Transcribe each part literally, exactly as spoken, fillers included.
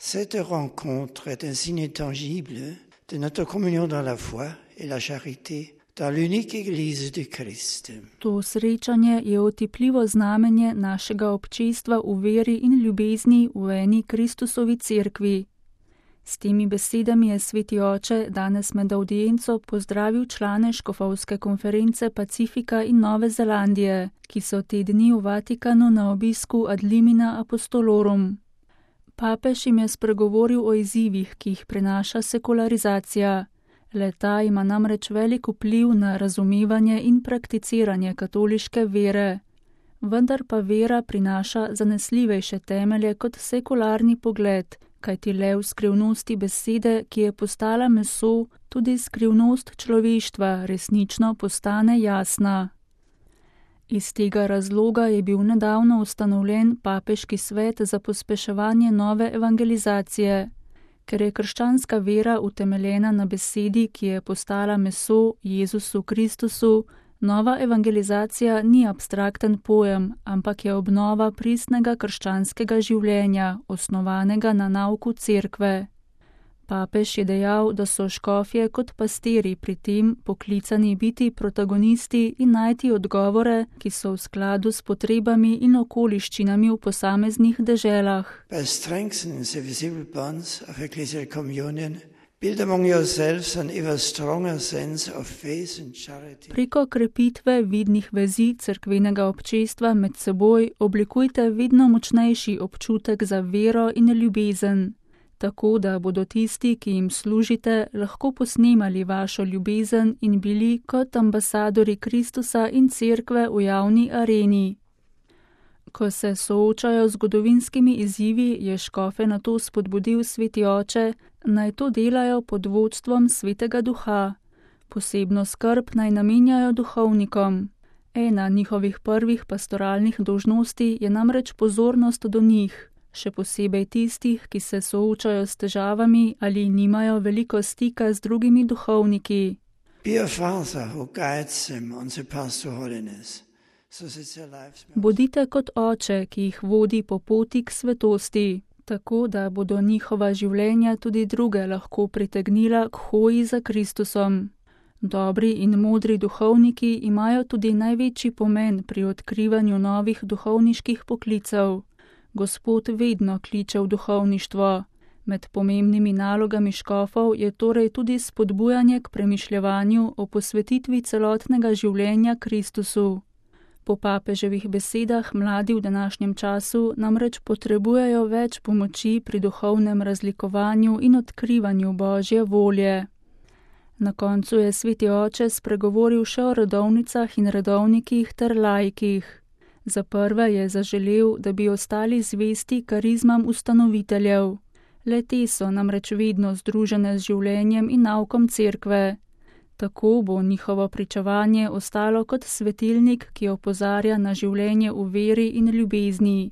Cette rencontre est un signe tangible de notre communion dans la foi et la charité dans l'unique Église du Christ. To srečanje je otipljivo znamenje našega občestva v veri in ljubezni v eni Kristusovi cerkvi. S temi besedami je sveti oče danes med audienco pozdravil člane škofovske konference Pacifika in Nove Zelandije, ki so te dni v Vatikanu na obisku ad limina apostolorum. Papež jim je spregovoril o izzivih, ki jih prinaša sekularizacija. Le-ta ima namreč velik vpliv na razumevanje in prakticiranje katoliške vere. Vendar pa vera prinaša zanesljivejše temelje kot sekularni pogled, kajti le v skrivnosti besede, ki je postala meso, tudi skrivnost človeštva resnično postane jasna. Iz tega razloga je bil nedavno ustanovljen papeški svet za pospeševanje nove evangelizacije. Ker je krščanska vera utemeljena na besedi, ki je postala meso, Jezusu Kristusu, nova evangelizacija ni abstrakten pojem, ampak je obnova pristnega krščanskega življenja, osnovanega na nauku cerkve. Papež je dejal, da so škofje kot pastiri pri tem poklicani biti protagonisti in najti odgovore, ki so v skladu s potrebami in okoliščinami v posameznih deželah. By strengthening the visible bonds of ecclesial communion, build among yourselves an ever stronger sense of faith and charity. Preko krepitve vidnih vezi cerkvenega občestva med seboj oblikujte vedno močnejši občutek za vero in ljubezen. Tako da bodo tisti, ki jim služite, lahko posnemali vašo ljubezen in bili kot ambasadori Kristusa in cerkve v javni areni. Ko se soočajo z zgodovinskimi izzivi, je škofe nato spodbudil sveti oče, naj to delajo pod vodstvom svetega duha. Posebno skrb naj namenjajo duhovnikom. Ena njihovih prvih pastoralnih dolžnosti je namreč pozornost do njih. Še posebej tistih, ki se soočajo s težavami ali nimajo veliko stika z drugimi duhovniki. Bodite kot oče, ki jih vodi po poti k svetosti, tako da bodo njihova življenja tudi druge lahko pritegnila k hoji za Kristusom. Dobri in modri duhovniki imajo tudi največji pomen pri odkrivanju novih duhovniških poklicev. Gospod vedno kliče v duhovništvo. Med pomembnimi nalogami škofov je torej tudi spodbujanje k premišljevanju o posvetitvi celotnega življenja Kristusu. Po papeževih besedah mladi v današnjem času namreč potrebujejo več pomoči pri duhovnem razlikovanju in odkrivanju Božje volje. Na koncu je sveti oče spregovoril še o redovnicah in redovnikih ter laikih. Za prve je zaželel, da bi ostali zvesti karizmam ustanoviteljev. Le te so namreč vedno združene z življenjem in naukom cerkve. Tako bo njihovo pričevanje ostalo kot svetilnik, ki opozarja na življenje v veri in ljubezni.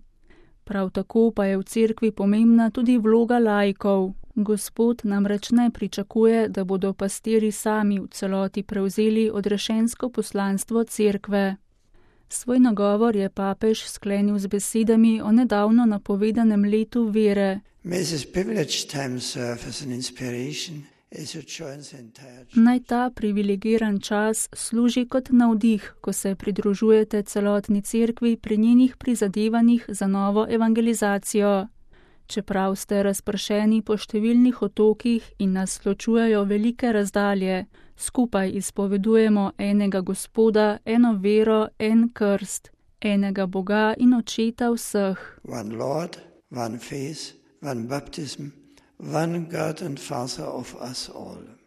Prav tako pa je v cerkvi pomembna tudi vloga laikov. Gospod namreč ne pričakuje, da bodo pastiri sami v celoti prevzeli odrešensko poslanstvo cerkve. Svoj nagovor je papež sklenil z besedami o nedavno napovedanem letu vere. Naj ta privilegiran čas služi kot navdih, ko se pridružujete celotni cerkvi pri njenih prizadevanjih za novo evangelizacijo. Čeprav ste razpršeni po številnih otokih in nas ločujejo velike razdalje, skupaj izpovedujemo enega Gospoda, eno vero, en krst, enega Boga in Očeta vseh. One Lord, one faith, one baptism, one God and Father of us all.